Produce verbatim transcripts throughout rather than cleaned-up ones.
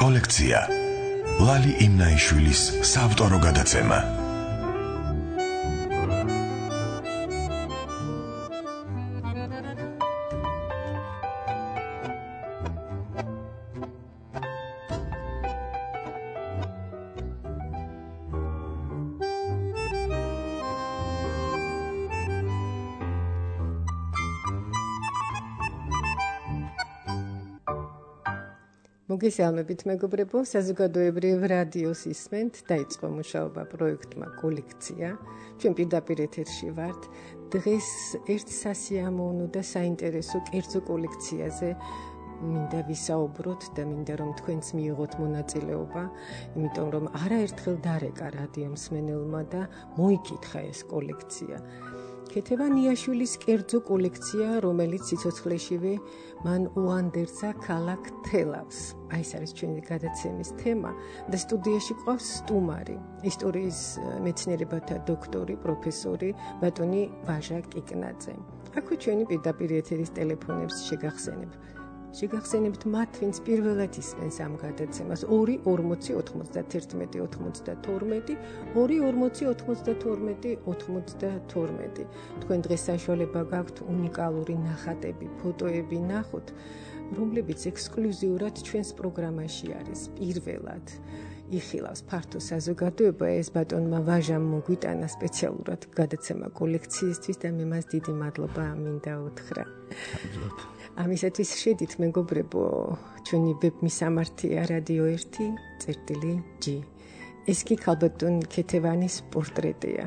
კოლექცია ლალი იმნაიშვილის საავტორო გადაცემა. მოგესალმებით მეგობრებო, საზოგადოებრივ რადიოს ისმენთ, დაიწყო მუშაობა პროექტმა კოლექცია. ჩვენ პირდაპირ ეთერში ვართ. დღეს ერთ სასიამოვნო და საინტერესო კერძო კოლექციაზე მინდა ვისაუბროთ და მინდა რომ თქვენც მიიღოთ მონაწილეობა, იმიტომ რომ არაერთხელ დარეკა რადიო მსმენელმა და მოიკითხა ეს კოლექცია. ქეთევანიაშვილის კერძო კოლექცია, რომელიც სიცოცხლეშივე მან უანდერძა ქალაქ თელავს. აი ეს არის ჩვენი გადაცემის თემა და სტუდიაში ყავს სტუმარი, ისტორიის მეცნიერებათა დოქტორი, პროფესორი ბატონი ვაჟა კიკნაძე. აქვე ჩვენი პირდაპირ ეთერის ტელეფონებს შეგახსენებ. შეგახსენებთ მათ, ვინც პირველად ისმენს ამ გადაცემას ორი ორმოცი ოცდაათი ოცდათორმეტი, ორი ორმოცი ოცდათორმეტი ოცდათორმეტი. თქვენ დღეს საშუალება გაქვთ უნიკალური ნახატები, ფოტოები ნახოთ, რომლებიც ექსკლუზიურად ჩვენს პროგრამაში არის პირველად. იხილავს ფართო საზოგადოება, ეს ბატონმა ვაჟამ მოგვიტანა სპეციალურად გადაცემა კოლექციისთვის და მე მას დიდი მადლობა მინდა უთხრა. ამისათვის შედით მეგობრებო, ჩვენი ვებმისამართია რადიო ერთი წერტილი ჯი. ეს კი ქალბატონ ქეთევანის პორტრეტია.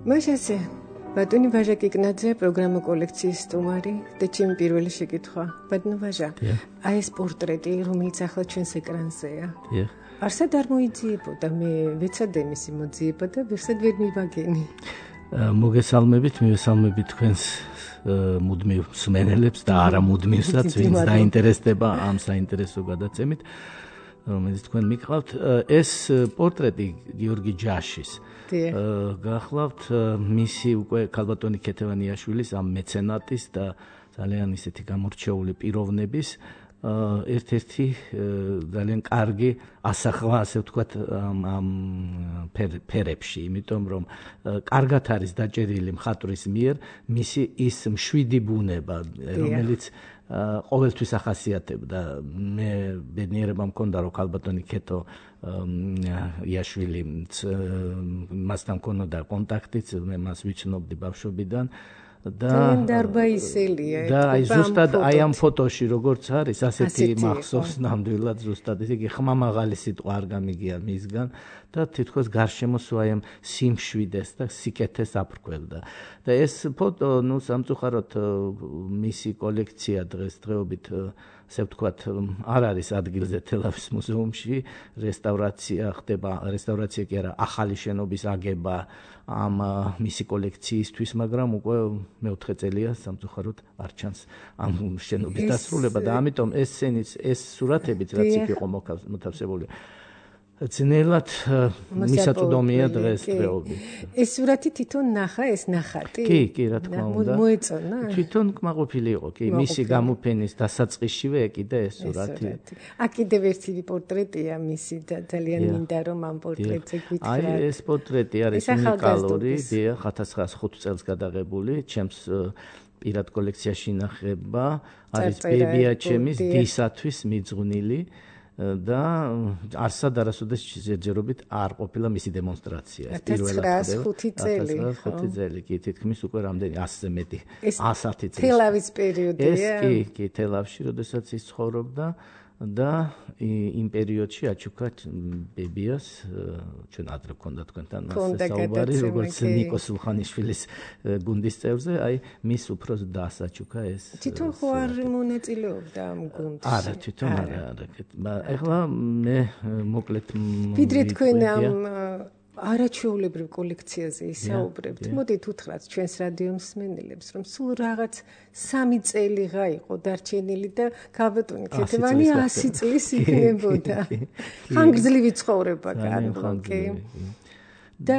მაშასე, ბატონი ვაჟა კიკნაძე, პროგრამა კოლექციის სტუმარი და ჩემი პირველი შეკითხვა. ბატონო ვაჟა, აი ეს პორტრეტი, რომელიც ახლა ჩვენს ეკრანზეა. არსად არ მოიძიებოდა, მე ვეცადე მისი მოძიება და ვერსად ვერ მივაგენი. მოგესალმებით, მივესალმებით თქვენს მუდმივ მსმენელებს და არა მუდმივსაც, ვინც დაინტერესდება ამ საინტერესო გადაცემით, რომელიც თქვენ მიყავთ. ეს პორტრეტი გიორგი ჯაშის. გახლავთ მისი უკვე ქალბატონი ქეთევანიაშვილის ამ მეცენატის და ძალიან ისეთი გამორჩეული პიროვნების ერთ-ერთი ძალიან კარგი ასახვა, ასე ვთქვათ, ამ ფერებში, იმიტომ რომ კარგად არის დაჭერილი მხატვრის მიერ მისი ის მშვიდი ბუნება, რომელიც ყოველთვის ახასიათებდა. მე ბედნიერება მქონდა, რომ ქალბატონი ქეთო იაშვილი მასთან მქონოდა კონტაქტიც, მე მას ვიცნობდი ბავშვობიდან და დარბაისელია. და აი ზუსტად აი ამ ფოტოში როგორც არის, ასეთი მახსოვს ნამდვილად ზუსტად ისე ხმამაღალი სიტყვა არ გამიგია მისგან და თითქოს გარშემო სვაი ამ სიმშვიდეს და სიკეთეს აფრქვევდა. და ეს ფოტო, ნუ სამწუხაროდ მისი კოლექცია დღესდღეობით ასე ვთქვათ, არ არის ადგილზე თელავის მუზეუმში, რესტავრაცია ხდება, რესტავრაცია კი არა, ახალი შენობის აგება ამ მისი კოლექციისთვის, მაგრამ უკვე მეოთხე წელია სამწუხაროდ არ ჩანს ამ შენობის დასრულება და ამიტომ ეს სცენის, ეს სურათებიც რაც იქ იყო მოთავსებული, ძნელად მისაწვდომია დღესდღეობით. ეს სურათი თვითონ ნახა, ეს ნახატი? კი, კი, რა თქმა უნდა. მოეწონა? თვითონ კმაყოფილი იყო, კი, მისი გამოფენის დასაწყისშივე ეკიდა ეს სურათი. აქ კიდევ ერთი პორტრეტია მისი და ძალიან მინდა რომ ამ პორტრეტზე გითხრათ. აი ეს პორტრეტი არის უნიკალური, დიახ, ათას ცხრაასი ხუთი წელს გადაღებული, ჩემს პირად კოლექციაში ინახება, არის ბებია ჩემის დისათვის მიძღვნილი. და არსად არასოდეს ჯერჯერობით არ ყოფილა მისი დემონსტრაცია. ეს ათას ცხრაასი წელი. ათას ცხრაასი წელი, კი, თითქმის უკვე რამდენი ასზე მეტი, ასათი წელი. თელავის პერიოდია. ეს კი, კი, თელავში, როდესაც ის ცხოვრობდა და იმ პერიოდში აჩუქა ბებიას, ჩვენ ადრე გქონდა თქვენთან საუბარი, როგორც ნიკო სულხანიშვილის გუნდის წევრზე, აი მის უფროს დას აჩუქა ეს. თვითონ ხო არ მონაწილეობდა ამ გუნდში? არა, თვითონ არა, არა. ეხლა მე მოკლედ ვიდრე თქვენ ამ არაჩვეულებრივ კოლექციაზე ისაუბრებთ. მოდით უთხრათ ჩვენს რადიო მსმენელებს, რომ სულ რაღაც სამი წელი გაიყო დარჩენილი და ქალბატონი ქეთევანი ასი წლის იქნებოდა. ხანგრძლივი ცხოვრება განვლო, კი. და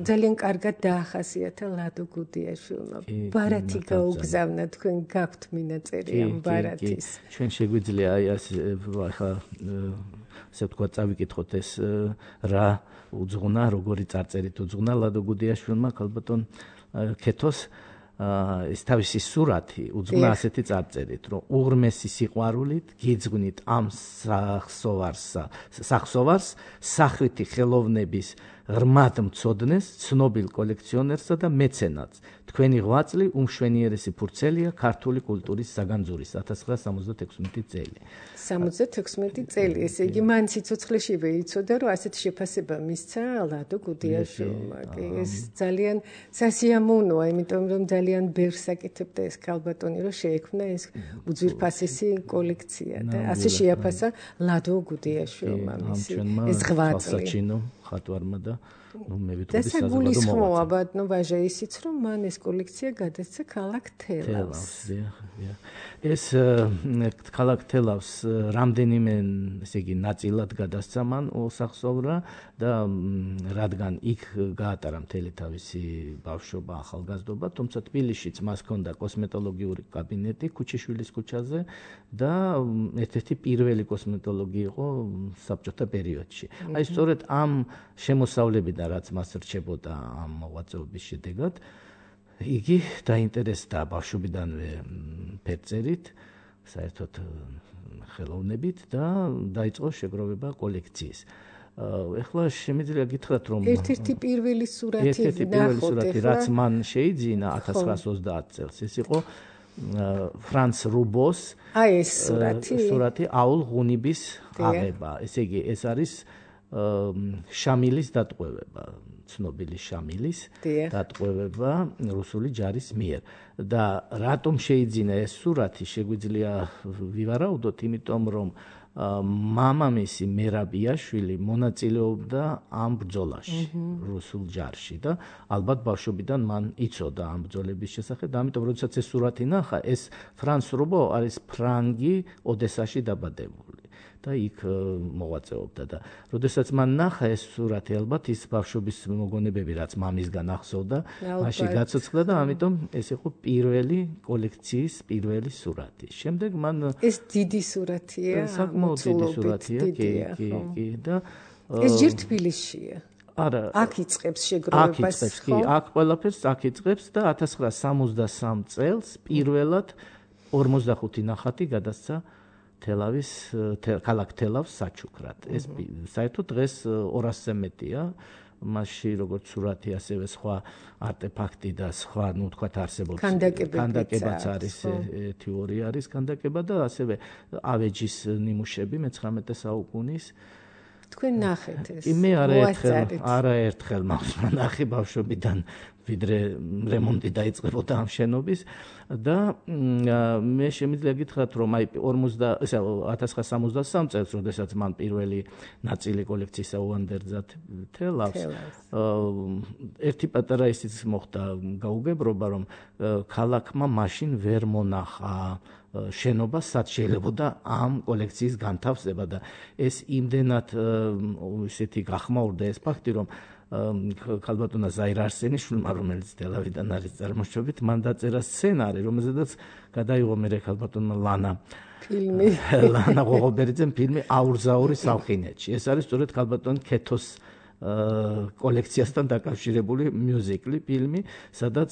ძალიან კარგად დაახასიათა ლადო გუდიაშვილმა. ბარათი გაუგზავნა, თქვენ გაქვთ მინაწერი ამ ბარათის. ჩვენ შეგვიძლია აი ასე ახლა ასე ვთქვათ, წავიკითხოთ ეს რა უძღვნა, როგორი წარწერით უძღვნა ლადო გუდიაშვილმა ქალბატონ ქეთოს ეს თავისი სურათი უძღვნა ასეთი წარწერით, რომ უღრმესი სიყვარულით გიძღვნით ამ სახსოვარსა, სახსოვარს სახვითი ხელოვნების ღრმად მცოდნეს, ცნობილ კოლექციონერსა და მეცენატს. თქვენი ღვაწლი უმშვენიერესი ფურცელია ქართული კულტურის საგანძურის ათას ცხრაასი სამოცდათექვსმეტი წელი. სამოცდათექვსმეტი წელი, ესე იგი მან სიცოცხლეშივე იცოდა, რომ ასეთ შეფასება მისცა ლადო გუდიაშვილმა. ეს ძალიან სასიამოვნოა, იმიტომ რომ ძალიან ბევრს აკეთებდა ეს ქალბატონი, რომ შეექმნა ეს უძვირფასესი კოლექცია და ასე შეაფასა ლადო გუდიაშვილმა მისი ეს ღვაწლი. ხატვარმა და ნუ მე ვიტყოდი საზოგადო გულისხმოა ბატონო ვაჟა ისიც რომ მან ეს კოლექცია გადასცა ქალაქ თელავს. ეს ქალაქ თელავს რამდენიმე ესე იგი ნაწილად გადასცა მან ოსახსოვრა და რადგან იქ გაატარა მთელი თავისი ბავშვობა, ახალგაზრდობა, თუმცა თბილისშიც მას ჰქონდა კოსმეტოლოგიური კაბინეტი ქუჩიშვილის ქუჩაზე და ერთ-ერთი პირველი კოსმეტოლოგი იყო საბჭოთა პერიოდში. აი სწორედ ამ შემოსავლებიდან რაც მას რჩებოდა ამ მოღვაწეობის შედეგად, იგი დაინტერესდა ბავშვობიდანვე ფერწერით, საერთოდ ხელოვნებით და დაიწყო შეგროვება კოლექციის. ეხლა შემიძლია გითხრათ, რომ ერთ-ერთი პირველი სურათი ერთ-ერთი პირველი სურათი, რაც მან შეიძინა ათას ცხრაასი ოცდაათ წელს, ეს იყო ფრანც რუბოს აი ეს სურათი სურათი აულ ღუნიბის აღება. ესე იგი, ეს არის შამილის დატყვევება, ცნობილი შამილის დატყვევება რუსული ჯარის მიერ. და რატომ შეიძინა ეს სურათი, შეგვიძლია ვივარაუდოთ, იმიტომ რომ მამამისი მერაბიაშვილი მონაწილეობდა ამ ბრძოლაში, რუსულ ჯარში და ალბათ ბავშვობიდან მან იცოდა ამ ბრძოლების შესახებ და ამიტომ როდესაც ეს სურათი ნახა, ეს ფრანც რუბო არის ფრანგი ოდესაში დაბადებული. და იქ მოღვაწეობდა და როდესაც მან ნახა ეს სურათი, ალბათ ის ბავშვობის მოგონებები, რაც მამისგან ახსოვდა, მაშინ გაცოცხლა და ამიტომ ეს იყო პირველი კოლექციის პირველი სურათი. შემდეგ მან ეს დიდი სურათია, საკმაოდ დიდი სურათია, კი, კი, კი და ეს ჯერ თბილისშია. არა, აქ იწყებს შეგროვებას, ხო? აქ ყველაფერს აქ იწყებს და ათას ცხრაასი სამოცდასამ წელს პირველად ორმოცდახუთი ნახატი გადასცა თელავის ქალაქ თელავს საჩუქრად. ეს საერთოდ დღეს ორასზე მეტია. მასში როგორც სურათი, ასევე სხვა არტეფაქტი და სხვა, ну, თქვათ არსებობს ქანდაკებაც არის, თეორია არის ქანდაკება და ასევე ავეჯის ნიმუშები მეცხრამეტე საუკუნის. თქვენ ნახეთ ეს. კი მე არაერთხელ არაერთხელ ნახე ბავშვობიდან, ვიდრე რემონტი დაიწყებოდა ამ შენობის და მე შემიძლია გითხრათ, რომ აი ათას ცხრაასი სამოცდასამ წელს, როდესაც მან პირველი ნაწილი კოლექციისა უანდერძა თელავს, ერთი პატარა ისიც მოხდა გაუგებრობა, რომ ქალაქმა მაშინ ვერ მონახა შენობა, სად შეიძლებოდა ამ კოლექციის განთავსება და ეს იმდენად ისეთი გახმაურდა ეს ფაქტი, რომ ქალბატონა ზაირ არსენიშვილმა, რომელიც თელავიდან არის წარმოშობით, მან დაწერა სცენარი, რომელზედაც გადაიღო მერე ქალბატონმა ლანა ფილმი ლანა ღოღობერიძემ ფილმი აურზაური სამხინეთში. ეს არის სწორედ ქალბატონ ქეთოს კოლექციასთან დაკავშირებული მიუზიკლი, ფილმი, სადაც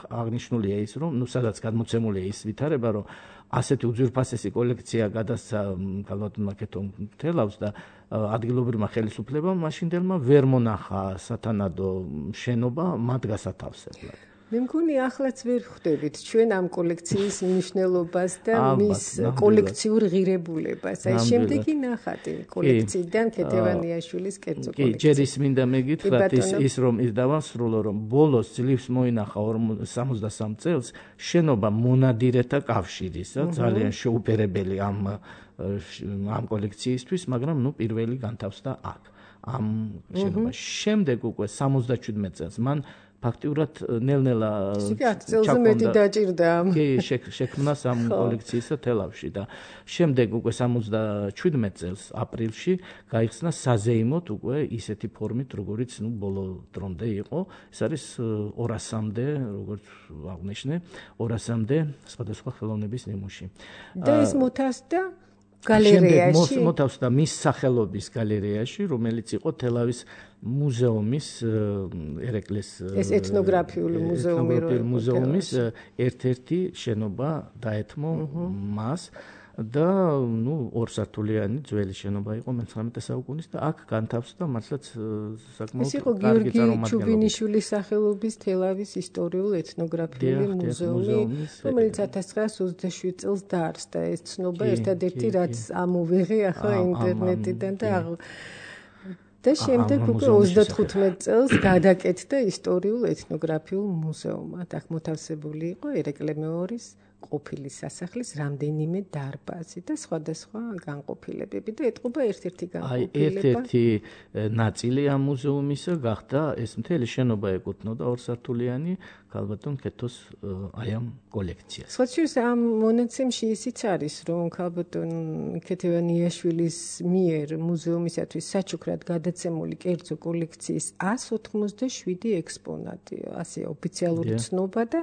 აღნიშნულია ის, რომ, ну, სადაც გადმოცემულია ის ვითარება, რომ ასეთი უძვირფასესი კოლექცია გადასცა ქალბატონმა კეთომ თელავს და ადგილობრივმა ხელისუფლებამ მაშინდელმა ვერ მონახა სათანადო შენობა მათ გასათავსებლად. მე მგონი ახლაც ვერ ხვდებით ჩვენ ამ კოლექციის მნიშვნელობას და მის კოლექციურ ღირებულებას. აი შემდეგი ნახატი კოლექციიდან ქეთევანიაშვილის კერძო კოლექცია. კი, ჯერ ის მინდა მეგითხრათ ის ის რომ ის დავასრულო რომ ბოლოს ძლივს მოინახა სამოცდასამ წელს შენობა მონადირეთა კავშირისა, ძალიან შეუპერებელი ამ ამ კოლექციისთვის, მაგრამ ნუ პირველი განთავსდა აქ ამ შენობაში. შემდეგ უკვე სამოცდაჩვიდმეტ წელს მან ფაქტიურად ნელ-ნელა წელზე მეტი დაჭირდა. კი, შექმნა ამ კოლექციისა თელავში და შემდეგ უკვე სამოცდაჩვიდმეტ წელს აპრილში გაიხსნა საზეიმოდ უკვე ისეთი ფორმით, როგორც ნუ ბოლო დრომდე იყო. ეს არის ორასამდე, როგორც აღნიშნე, ორასამდე სხვადასხვა ხელოვნების ნიმუში. და ეს მოთავსდა გალერეაში. მოთავსდა მის სახელობის გალერეაში, რომელიც იყო თელავის მუზეუმის ერეკლეს ეს ეთნოგრაფიული მუზეუმი მუზეუმის ერთ-ერთი შენობა დაეთმო მას და ნუ ორსართულიანი ძველი შენობა იყო მეცხრამეტე საუკუნის და აქ განთავსდა მართლაც საკმაოდ ეს იყო გიორგი ჩუბინიშვილის სახელობის თელავის ისტორიულ-ეთნოგრაფიული მუზეუმი, რომელიც ათას ცხრაასი ოცდაშვიდ წელს დაარსდა. ეს ცნობა ერთადერთი რაც ამოვიღე ახლა ინტერნეტიდან და და შემდეგ უკვე ოცდათხუთმეტ წელს გადაკეთდა ისტორიულ-ეთნოგრაფიულ მუზეუმად. აქ მოთავსებული იყო ერეკლე მეორის ყოფილი სასახლის რამდენიმე დარბაზი და სხვადასხვა განყოფილებები და ეთყობა ერთ-ერთი განყოფილება. აი ერთ-ერთი ნაწილი ამ მუზეუმისა გახდა ეს მთელი შენობა ეკუთვნოდა ორსართულიანი ქალბატონ კეთოს აი ამ კოლექციას. სხვა შორის ამ მონაცემში ისიც არის, რომ ქალბატონ ქეთევანიაშვილის მიერ მუზეუმისათვის საჩუქრად გადაცემული კერძო კოლექციის ას ოთხმოცდაშვიდი ექსპონატია, ასე ოფიციალური ცნობა და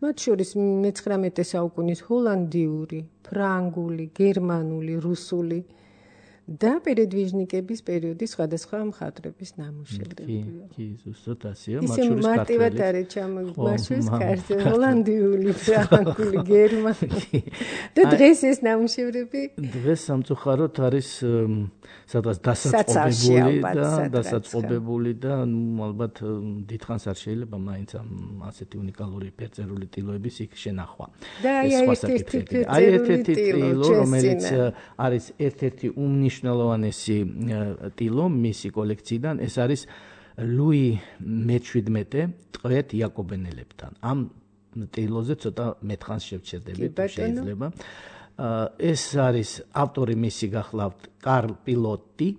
მათ შორის მეცხრამეტე საუკუნის ჰოლანდიური, ფრანგული, გერმანული, რუსული და პერედვიჟნიკების პერიოდის სხვადასხვა მხატვრების ნამუშევრებია. კი, კი, ზუსტად ასეა, მათ შორის მარტივად არის ჩამოგვაშვის კარტი, ჰოლანდიური, ფრანგული, გერმანული. და დღეს ეს ნამუშევრები დღეს სამწუხაროდ არის სადღაც დასაწყობებული და დასაწყობებული და ალბათ დიდხანს არ შეიძლება მაინც ამ ასეთი უნიკალური ფერწერული ტილოების იქ შენახვა. და აი ერთ-ერთი ტილო, რომელიც არის ერთ-ერთი უმნიშვნელოვანესი ტილო მისი კოლექციიდან, ეს არის ლუი მეჩვიდმეტე ტყვეთ იაკობენელებთან. ამ ტილოზე ცოტა მეთხანს შევჩერდებით შეიძლება. ეს არის ავტორი მისი გახლავთ კარლ პილოტი.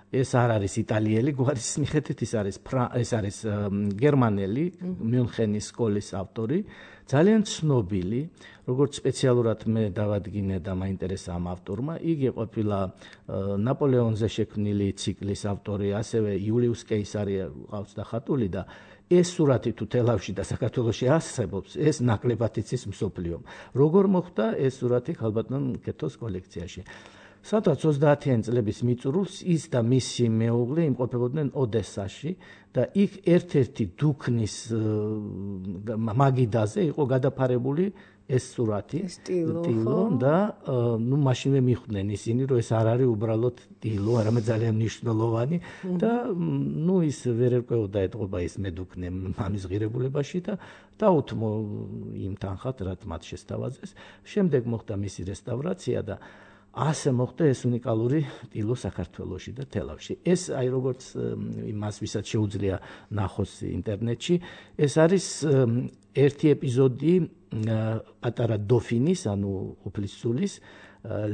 ეს არ არის იტალიელი გვარის მიხედვით, ის არის ეს არის გერმანელი, მიუნხენის სკოლის ავტორი, ძალიან ცნობილი, როგორც სპეციალურად მე დავადგინე და მაინტერესა ამ ავტორმა. იგი ყოფილა ნაპოლეონზე შექმნილი ციკლის ავტორი, ასევე იულიუს კეისარი ყავს დახატული და ეს სურათი თუ თელავში და საქართველოში არსებობს, ეს ნაკლებად იცის მსოფლიომ. როგორ მოხდა ეს სურათი ქალბატონ კეთოს კოლექციაში? სადღაც ოცდაათიანი წლების მიწურულს ის და მისი მეუღლე იმყოფებოდნენ ოდესაში და იქ ერთ-ერთი დუქნის მაგიდაზე იყო გადაფარებული ეს სურათი, ტილო და ნუ მაშინვე მიხვდნენ ისინი, რომ ეს არ არის უბრალოდ ტილო, არამედ ძალიან მნიშვნელოვანი და ნუ ის ვერ ერკვეოდა ეთყობა ის მედუქნე მამის ღირებულებაში და დაუთმო იმ თანხად, რაც მათ შესთავაზეს. შემდეგ მოხდა მისი რესტავრაცია და ასე მოხდა ეს უნიკალური ტილო საქართველოში და თელავში. ეს აი როგორც იმას ვისაც შეუძლია ნახოს ინტერნეტში, ეს არის ერთი ეპიზოდი პატარა დოფინის, ანუ უფლისწულის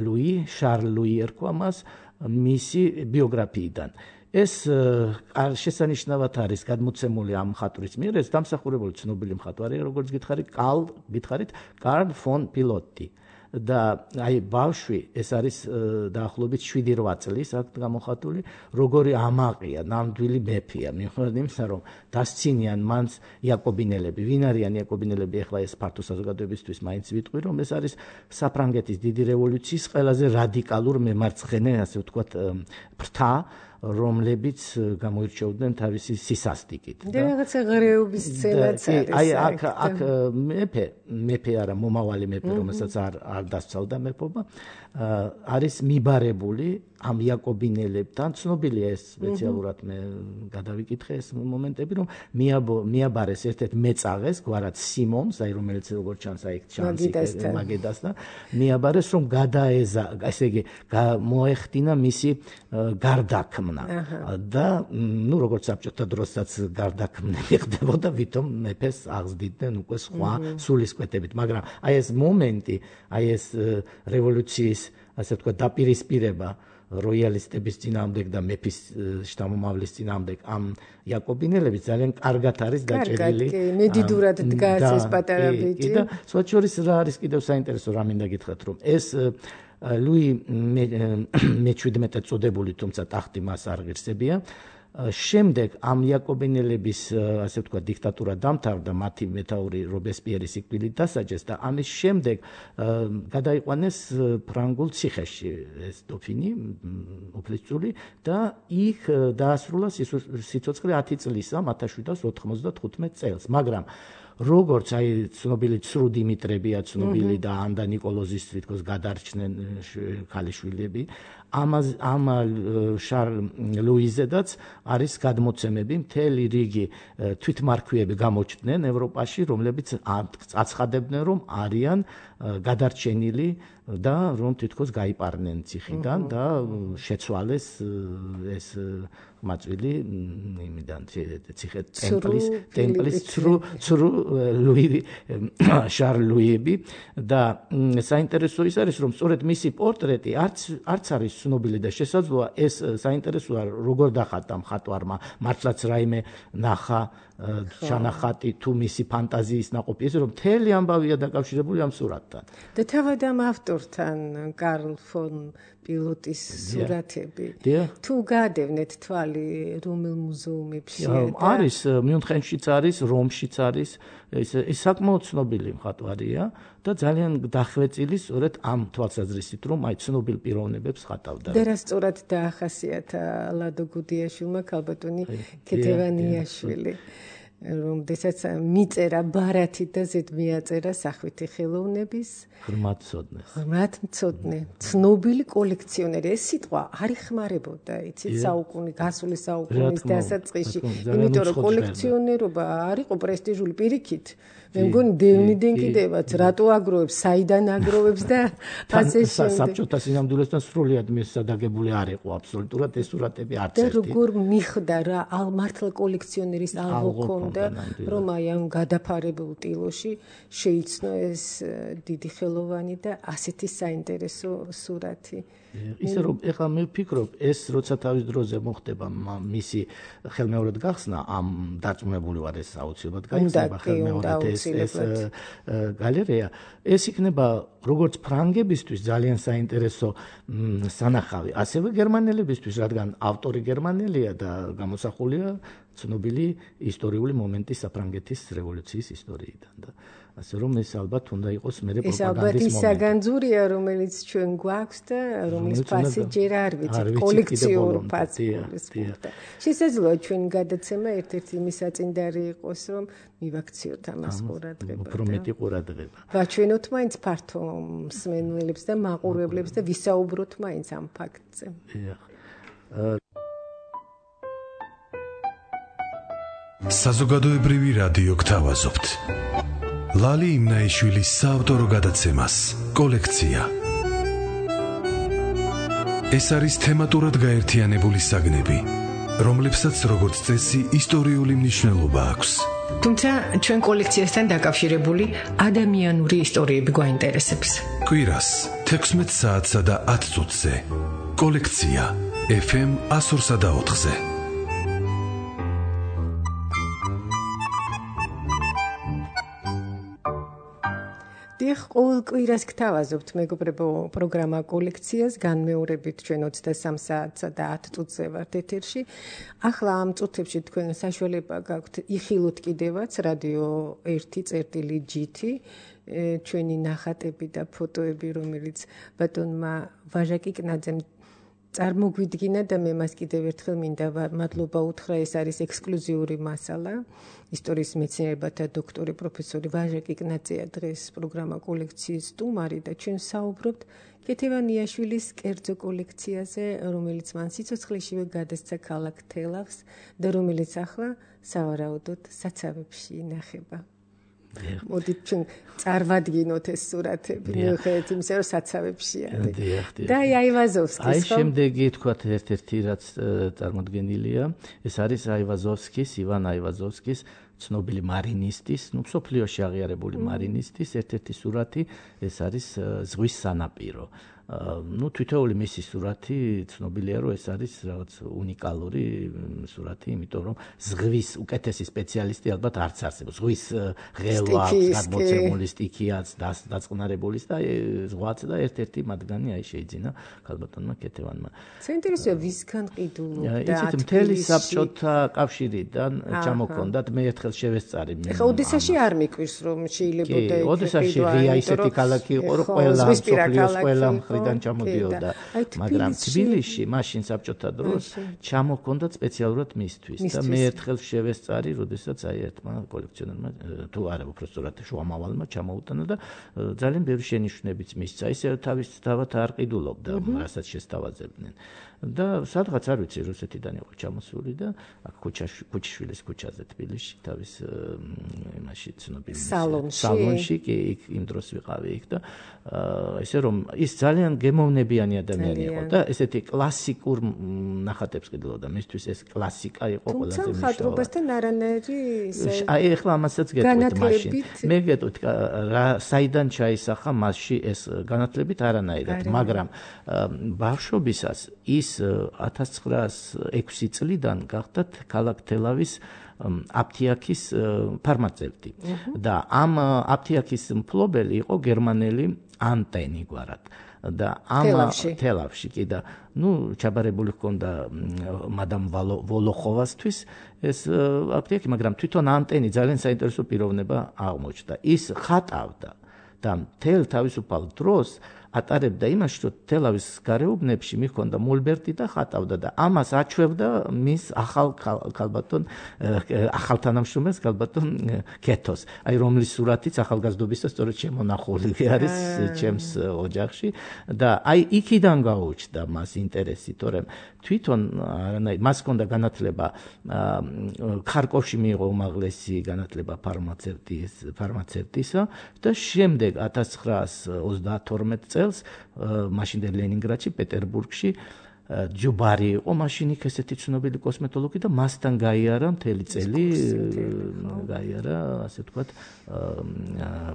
ლუი, შარლ ლუი ერქვა მას, მისი ბიოგრაფიიდან. ეს შესანიშნავად არის გადმოცემული ამ მხატვრის მიერ, ეს დამსახურებული ცნობილი მხატვარია, როგორც გითხარით, კარლ, გითხარით, კარლ ფონ პილოტი. და აი ბავშვი ეს არის დაახლოებით შვიდი რვა წლის აქ გამოხატული, როგორი ამაყია, ნამდვილი მეფეა, მიუხედავად იმისა, რომ დასცინიან მანს იაკობინელები. ვინ არიან იაკობინელები? ახლა ეს ფართო საზოგადოებისთვის მაინც ვიტყვი, რომ ეს არის საფრანგეთის დიდი რევოლუციის ყველაზე რადიკალურ მემარცხენე, ასე ვთქვათ, ფრთა, რომლებიც გამოირჩეოდნენ თავისი სისასტიკით. და რაღაცა ღრეობის სცენაც არის. აი აქ აქ მეფე მეფე არა მომავალი მეფე რომელსაც არ არ დასწავდა მეფობა არის მიბარებული ამ იაკობინელებთან ცნობილია ეს სპეციალურად მე გადავიკითხე ეს მომენტები რომ მიაბარეს ერთ-ერთ მეწაღეს გვარად სიმონს აი რომელიც როგორც ჩანს აი ჩანს მაგედას და მიაბარეს რომ გადაეზა ესე იგი მოეხდინა მისი გარდაქმნა და ნუ როგორც საბჭოთა დროსაც გარდაქმნები ხდებოდა ვითომ მეფეს აღზრდიდნენ უკვე სხვა სულისკვეთებით მაგრამ აი ეს მომენტი აი ეს რევოლუციის ასე ვთქვა დაპირისპირება როიალისტების წინააღმდეგ და მეფის შთამომავლის წინააღმდეგ ამ იაკობინელების ძალიან კარგად არის დაჭერილი. კარგად, მედიდურად დგას ეს პატარა ბიჭი. და სხვა შორის რა არის კიდევ საინტერესო რა მინდა გითხრათ რომ ეს ლუი მეჩვიდმეტე წოდებული თუმცა ტახტი მას არ ღირსებია. შემდეგ ამ იაკობინელების ასე ვთქვა დიქტატურა დამთავრდა მათი მეთაური რობესპიერის სიკვდილით დასაჯეს და ამის შემდეგ გადაიყვანეს ფრანგულ ციხეში ეს დოფინი უფლისწული და იქ დაასრულა სიცოცხლე ათი წლისა მათ შვიდას ოთხმოცდათხუთმეტ წელს მაგრამ როგორც აი ცნობილი ცრუ დიმიტრებია ცნობილი და ანდა ნიკოლოზის თვითონ გადარჩნენ ქალიშვილები ამას ამ შარლ ლუიზედაც არის გადმოცემები მთელი რიგი თვითმარქვიები გამოჩნდნენ ევროპაში რომლებიც აცხადებდნენ რომ არიან გადარჩენილი და რომ თითქოს გაიპარნენ ციხიდან და შეცვალეს ეს მაწვილი იმიდან ციხე ტემპლის ტემპლის ცრუ ცრუ ლუი შარლ ლუიები და საინტერესო ის არის რომ სწორედ მისი პორტრეტი არც არც არის ცნობილი და შესაძლოა ეს საინტერესოა როგორ დახატა მხატვარმა მართლაც რაიმე ნახა ჩანახატი თუ მისი ფანტაზიის ნაყოფი ეს რომ მთელი ამბავია დაკავშირებული ამ სურათთან და თავად ამ ავტორთან კარლ ფონ პილოტის სურათები თუ გადევნეთ თვალი რომელ მუზეუმებში არის მიუნხენშიც არის რომშიც არის ეს საკმაოდ ცნობილი მხატვარია და ძალიან დახვეწილი სწორედ ამ თვალსაზრისით რომ აი ცნობილ პიროვნებებს ხატავდა და რა სწორად დაახასიათა ლადო გუდიაშვილმა ქალბატონი ქეთევანიაშვილი რომდესაც მიწერა ბარათი და ზედ მიაწერა სახვითი ხელოვნების ღრმათმცოდნეს ღრმათმცოდნე ცნობილი კოლექციონერი ეს სიტყვა არ იხმარებოდა იცით საუკუნე გასული საუკუნის დასაწყისში იმიტომ რომ კოლექციონერობა არ იყო პრესტიჟული პირიქით მე მგონი დევნიდან კიდევაც რატო აგროვებს საიდან აგროვებს და ასე შემდეგ საბჭოთა სინამდვილესთან სრულიად მისადაგებული არ იყო აბსოლუტურად ეს სურათები არც ერთი და როგორ მიხდა რა მართლა კოლექციონერის ალღო ქონდა რომ აი ამ გადაფარებულ ტილოში შეიცნო ეს დიდი ხელოვანი და ასეთი საინტერესო სურათი ისე რომ ეხლა მე ვფიქრობ ეს როცა თავის დროზე მოხდება მისი ხელმეორედ გახსნა ამ დარწმუნებული ვარ ეს აუცილებლად გაიხსნება ხელმეორედ ეს ეს გალერეა ეს იქნება როგორც ფრანგებისთვის ძალიან საინტერესო სანახავი ასევე გერმანელებისთვის რადგან ავტორი გერმანელია და გამოსახულია ცნობილი ისტორიული მომენტი საფრანგეთის რევოლუციის ისტორიიდან და ასე რომ ეს ალბათ უნდა იყოს მე პროპაგანდის მომენტი. ეს ალბათ ის საგანძურია, რომელიც ჩვენ გვაქვს და რომლის ფასი ჯერ არ ვიცით, კოლექციურ ფასს. შესაძლოა ჩვენ გადაცემა ერთ-ერთი იმის საწინდარი იყოს, რომ მივაქციოთ ამას ყურადღება. უფრო მეტი ყურადღება. ვაჩვენოთ მაინც ფართო მსმენელებს და მაყურებლებს და ვისაუბროთ მაინც ამ ფაქტზე. საზოგადოებრივი რადიო გთავაზობთ. ლალი იმნაიშვილის საავტორო გადაცემას კოლექცია. ეს არის თემატურად გაერთიანებული საგნები, რომლებსაც როგორც წესი ისტორიული მნიშვნელობა აქვს. თუმცა ჩვენ კოლექციასთან დაკავშირებული ადამიანური ისტორიები გვაინტერესებს. კვირას თექვსმეტ საათსა და ათ წუთზე. კოლექცია ეფ ემ one oh four და ოთხზე. დიახ, ყოველ კვირას გთავაზობთ მეგობრებო პროგრამა კოლექციას, განმეორებით ჩვენ ოცდასამ საათსა და ათ წუთზე ვართ ეთერში. ახლა ამ წუთებში თქვენ საშუალება გაქვთ იხილოთ კიდევაც რადიო ერთი წერტილი ჯი-თი ჩვენი ნახატები და ფოტოები, რომელიც ბატონმა ვაჟა კიკნაძემ წარმოგვიდგინა და მე მას კიდევ ერთხელ მინდა მადლობა უთხრა, ეს არის ექსკლუზიური მასალა. ისტორიის მეცნიერებათა დოქტორი პროფესორი ვაჟა კიკნაძეა დღეს პროგრამა კოლექციის სტუმარი და ჩვენ საუბრობთ კეთევანიაშვილის კერძო კოლექციაზე, რომელიც მან სიცოცხლეშივე გადასცა ქალაქ თელავს და რომელიც ახლა სავარაუდოდ საცავებში ინახება. მოდით ჩვენ წარვადგინოთ ეს სურათები, მიუხედავად იმისა, რომ საცავებში არის. და აივაზოვსკის, აი შემდეგი თქვათ ერთ-ერთი რაც წარმოდგენილია, ეს არის აივაზოვსკის, ივან აივაზოვსკის ცნობილი მარინისტის, ну, მსოფლიოში აღიარებული მარინისტის ერთ-ერთი სურათი, ეს არის ზღვის სანაპირო. ну, თითოეული მისი სურათი ცნობილია, რომ ეს არის რაღაც უნიკალური სურათი, იმიტომ რომ ზღვის უკეთესი სპეციალისტი ალბათ არც არსებობს. ზღვის ღელვა, გადმოცემული სტიქიაც, დაწყნარებულის და ზღვაც და ერთ-ერთი მათგანი აი შეიძინა ქალბატონმა კეთევანმა. საინტერესოა ვისგან ყიდულობდა. იცით, მთელი საბჭოთა კავშირიდან ჩამოქონდათ, მე ერთხელ შევესწარი მე. ეხლა ოდესაში არ მიკვირს რომ შეიძლებოდა იქ. ოდესაში ღია ისეთი ქალაქი იყო, რომ ყველა მსოფლიოს ყველა მხრიდან ჩამოდიოდა, მაგრამ თბილისში მაშინ საბჭოთა დროს ჩამოქონდა სპეციალურად მისთვის და მე ერთხელ შევესწარი, როდესაც აი ერთმა კოლექციონერმა თუ არა, უბრალოდ შუამავალმა ჩამოუტანა და ძალიან ბევრი შენიშვნებიც მისცა. ისე თავის თავად არ ყიდულობდა, რასაც შესთავაზებდნენ. და სადღაც არ ვიცი, რუსეთიდან იყო ჩამოსული და აქ ქუჩიშვილის ქუჩაზე თბილისში თავის იმაში ცნობილი სალონში კი იქ იმ დროს ვიყავი იქ და ესე რომ ის ძალიან გემოვნებიანი ადამიანი იყო და ესეთი კლასიკურ ნახატებს ყიდულობდა. მისთვის ეს კლასიკა იყო ყველაზე მნიშვნელოვანი. თუმცა მხატვრობასთან არანაირი ისე აი ეხლა ამასაც გეტყვით მაშინ. მე გეტყვით რა საიდან ჩაისახა მასში ეს განათლებით არანაირად, მაგრამ ბავშვობისას ის ათას ცხრაას ექვსი წლიდან გახდათ ქალაქ თელავის აფთიაქის ფარმაცევტი და ამ აფთიაქის მფლობელი იყო გერმანელი ანტენი გვარად და ამ თელავში კი და ну ჩაბარებული ჰქონდა მადამ ვოლოხოვასთვის ეს აფთიაქი, მაგრამ თვითონ ანტენი ძალიან საინტერესო პიროვნება აღმოჩნდა. ის ხატავდა და მთელ თავისუფალ დროს ატარებდა იმაში, რომ თელავის გარეუბნებში მიჰქონდა მოლბერტი და ხატავდა და ამას აჩვევდა მის ახალ ქალბატონ ახალ თანამშრომელს ქალბატონ კეთოს. აი რომლის სურათიც ახალგაზრდობისა სწორედ შემონახული არის ჩემს ოჯახში და აი იქიდან გაუჩნდა მას ინტერესი, თორემ თვითონ არანაირ მას ჰქონდა განათლება ხარკოვში მიიღო უმაღლესი განათლება ფარმაცევტის ფარმაცევტისა და შემდეგ ათას ცხრაას ოცდათორმეტ წელს მაშინდელ ლენინგრადში, პეტერბურგში ჯუბარი იყო მაშინ იქ ესეთი ცნობილი კოსმეტოლოგი და მასთან გაიარა მთელი წელი გაიარა ასე ვთქვათ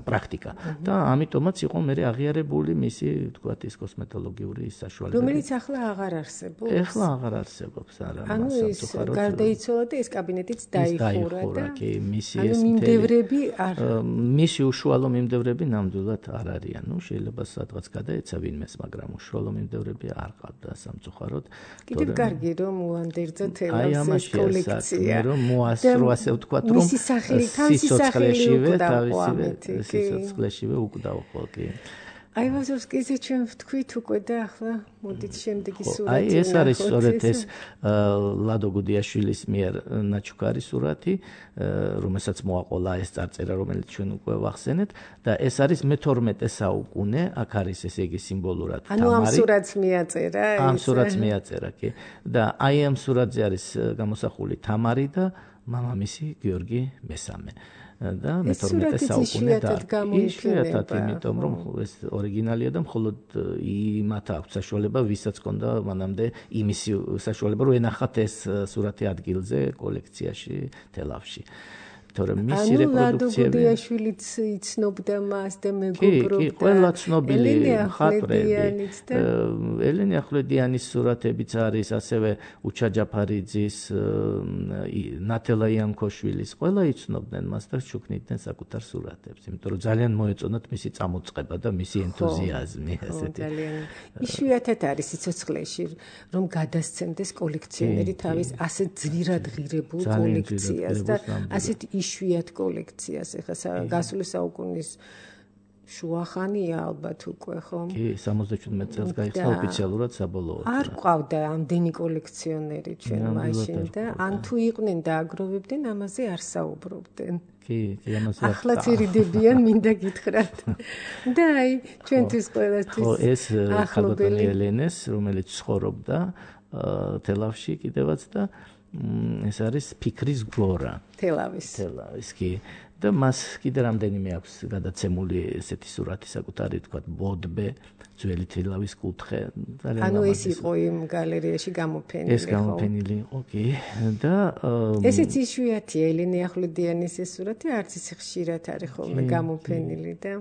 პრაქტიკა და ამიტომაც იყო მე აღიარებული მისი ვთქვათ ის კოსმეტოლოგიური საშუალებები, რომელიც ახლა აღარ არსებობს. ეხლა აღარ არსებობს, არა. ანუ ის გარდაიცვალა და ეს კაბინეტიც დაიხურა და მისი ეს მიმდევრები არ მისი უშუალო მიმდევრები ნამდვილად არ არიან. ნუ შეიძლება სადღაც გადაეცა ვინმეს, მაგრამ უშუალო მიმდევრები არ ყავდა სამწუხაროდ. კიდევ კარგი რომ უანდერძა თელავს კოლექცია რომ მოასწრო ასე ვთქვათ რომ მისი სახელი თავისი სახელი თავისი სიცოცხლეშივე უკდაო ხო კი. აივაზოვსკიზე ჩვენ ვთქვით უკვე და ახლა მოდით შემდეგი სურათი. აი ეს არის სწორედ ეს ლადო გუდიაშვილის მიერ ნაჩუქარი სურათი, რომელსაც მოაყოლა ეს წარწერა, რომელიც ჩვენ უკვე ვახსენეთ და ეს არის მეთორმეტე საუკუნე, აქ არის ესე იგი სიმბოლურად თამარი. ანუ ამ სურათს მიაწერა ეს. ამ სურათს მიაწერა კი. და აი ამ სურათზე არის გამოსახული თამარი და მამამისი გიორგი მესამე. და მეთორმეტე საუკუნე და იშვიათად, იმიტომ რომ ეს ორიგინალია და მხოლოდ იმათ აქვს საშუალება, ვისაც ჰქონდა მანამდე იმის საშუალება, რომ ენახათ ეს სურათი ადგილზე კოლექციაში თელავში. თორემ მისი რეპროდუქციები გუდიაშვილიც იცნობდა მას და მეგობრობდა. კი, კი, ყველა ცნობილი მხატვრები. ელენე ახვლედიანის სურათებიც არის, ასევე უჩა ჯაფარიძის, ნათელა იანქოშვილის, ყველა იცნობდნენ მას და ჩუქნიდნენ საკუთარ სურათებს, იმიტომ რომ ძალიან მოეწონათ მისი წამოწყება და მისი ენთუზიაზმი, ასეთი. ძალიან იშვიათად არის სიცოცხლეში, რომ გადასცემდეს კოლექციონერი თავის ასეთ ძვირად ღირებულ კოლექციას და ასეთ იშვიათ კოლექციას. ეხლა გასული საუკუნის შუახანია ალბათ უკვე, ხო? კი, სამოცდაშვიდმეტ წელს გაიხსნა ოფიციალურად საბოლოოდ. არ ყავდა ამდენი კოლექციონერი ჩვენ მაშინ და ან თუ იყვნენ და აგროვებდნენ, ამაზე არ საუბრობდნენ. კი, კი, ამაზე. ახლაც ერიდებიან, მინდა გითხრათ. და აი, ჩვენთვის ყველასთვის ხო, ეს ქალბატონი ელენეს, რომელიც ცხოვრობდა თელავში კიდევაც და ეს არის ფიქრის გორა. თელავის. თელავის, კი. და მას კიდე რამდენიმე აქვს გადაცემული ესეთი სურათი საკუთარი, თქვათ, ბოდბე, ძველი თელავის კუთხე, ძალიან ანუ ეს იყო იმ გალერეაში გამოფენილი, ეს გამოფენილი იყო, კი. და ესეც იშვიათია ელენე ახვლედიანის ეს სურათი, არც ისე ხშირად არის ხოლმე გამოფენილი და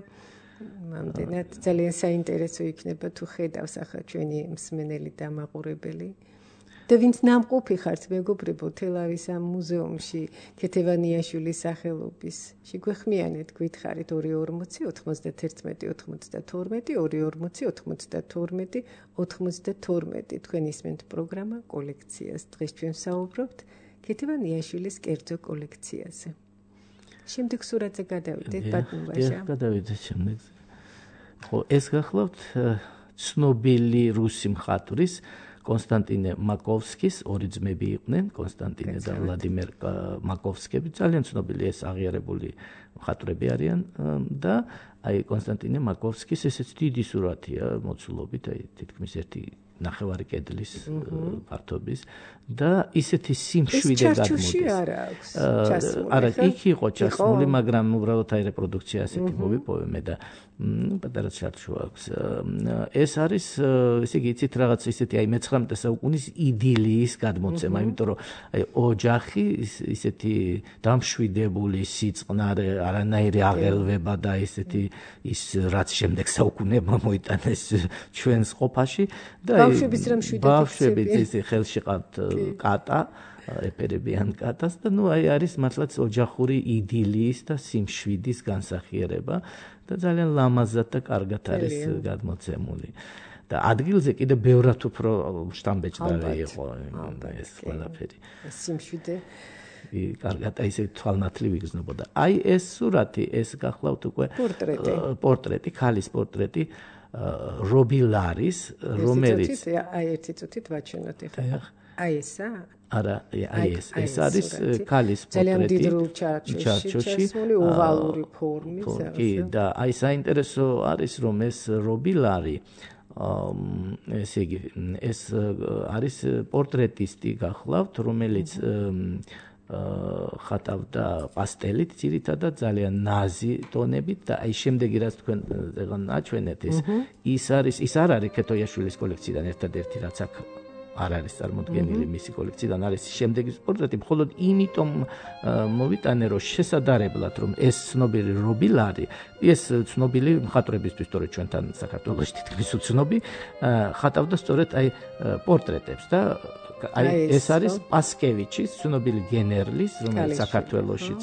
ამდენად ძალიან საინტერესო იქნება თუ ხედავს ახლა ჩვენი მსმენელი და მაყურებელი. და ვინც ნამყოფი ხართ მეგობრებო თელავის ამ მუზეუმში ქეთევანიაშვილის სახელობის შეგვეხმიანეთ გითხარით ორი ორმოცი ოცდაერთი ოცდათორმეტი ორი ორმოცი ოცდათორმეტი ოცდათორმეტი თქვენ ისმენთ პროგრამა კოლექციას დღეს ჩვენ ვსაუბრობთ ქეთევანიაშვილის კერძო კოლექციაზე შემდეგ სურათზე გადავიდეთ ბატონ ბაშა გადავიდეთ შემდეგ ხო ეს გახლავთ ცნობილი რუსი მხატვრის კონსტანტინე მაკოვსკის ორი ძმები იყვნენ, კონსტანტინე და ვლადიმერ მაკოვსკები, ძალიან ცნობილი ეს აღიარებული მხატვრები არიან და აი კონსტანტინე მაკოვსკის ესეც დიდი სურათია მოცულობით, აი თითქმის ერთი ნახევარი კედლის ფართობის და ისეთი სიმშვიდე გადმოდის. არა აქვს ჩასმული. არა, იქ იყო ჩასმული, მაგრამ უბრალოდ აი რეპროდუქცია ასეთი მოვიპოვე მე და პატარა ჩარჩო აქვს. ეს არის, ესე იგი, იცით რაღაც ისეთი აი მეცხრამეტე საუკუნის იდილიის გადმოცემა, იმიტომ რომ აი ოჯახი ისეთი დამშვიდებული, სიწყნარე, არანაირი აღელვება და ისეთი ის რაც შემდეგ საუკუნეებმა მოიტანეს ჩვენს ყოფაში და ბავშვების რა მშვიდად ბავშვები ისე ხელში ყავთ კატა ეპერებიან კატას და ნუ აი არის მართლაც ოჯახური იდილიის და სიმშვიდის განსახიერება და ძალიან ლამაზად და კარგად არის გადმოცემული. და ადგილზე კიდე ბევრად უფრო შტამბეჭდარი იყო ეს ყველაფერი. სიმშვიდე კარგად აი ესე თვალნათლივ იგრძნობოდა. აი ეს სურათი, ეს გახლავთ უკვე პორტრეტი. პორტრეტი, ქალის პორტრეტი რობილარის, რომელიც აი ერთი წუთით ვაჩვენოთ ახლა. აი ესა? არა, აი ეს ეს არის ქალის პორტრეტი. ძალიან დიდრულ ჩარჩოში, ჩასმული ოვალური ფორმის. კი, და აი საინტერესო არის რომ ეს რობილარი ესე იგი ეს არის პორტრეტისტი გახლავთ, რომელიც ხატავდა პასტელით ძირითადად ძალიან ნაზი ტონებით და აი შემდეგი რაც თქვენ ეგან აჩვენეთ ეს ის არის ის არ არის ქეთოიაშვილის კოლექციიდან ერთადერთი რაც აქ არ არის წარმოდგენილი მისი კოლექციიდან არის შემდეგი პორტრეტი მხოლოდ იმიტომ მოვიტანე რომ შესაძლებლად რომ ეს ცნობილი რობილარი ეს ცნობილი მხატვრებისთვის სწორედ ჩვენთან საქართველოში თითქმის უცნობი ხატავდა სწორედ აი პორტრეტებს და აი ეს არის პასკევიჩის ცნობილი გენერლის რომელიც საქართველოშიც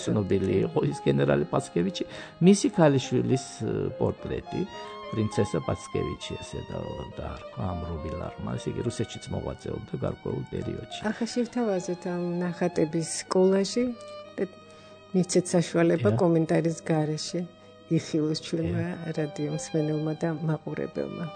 ცნობილი იყო ის გენერალი პასკევიჩი მისი ქალიშვილის პორტრეტი პრინცესა პასკევიჩი ესე დაარქვა ამ რობილარმა ესე იგი რუსეთშიც მოღვაწეობდა გარკვეულ პერიოდში ახლა შევთავაზოთ ამ ნახატების კოლაჟი და მიცეთ საშუალება კომენტარის გარეშე იხილოს ჩვენმა რადიო მსმენელმა და მაყურებელმა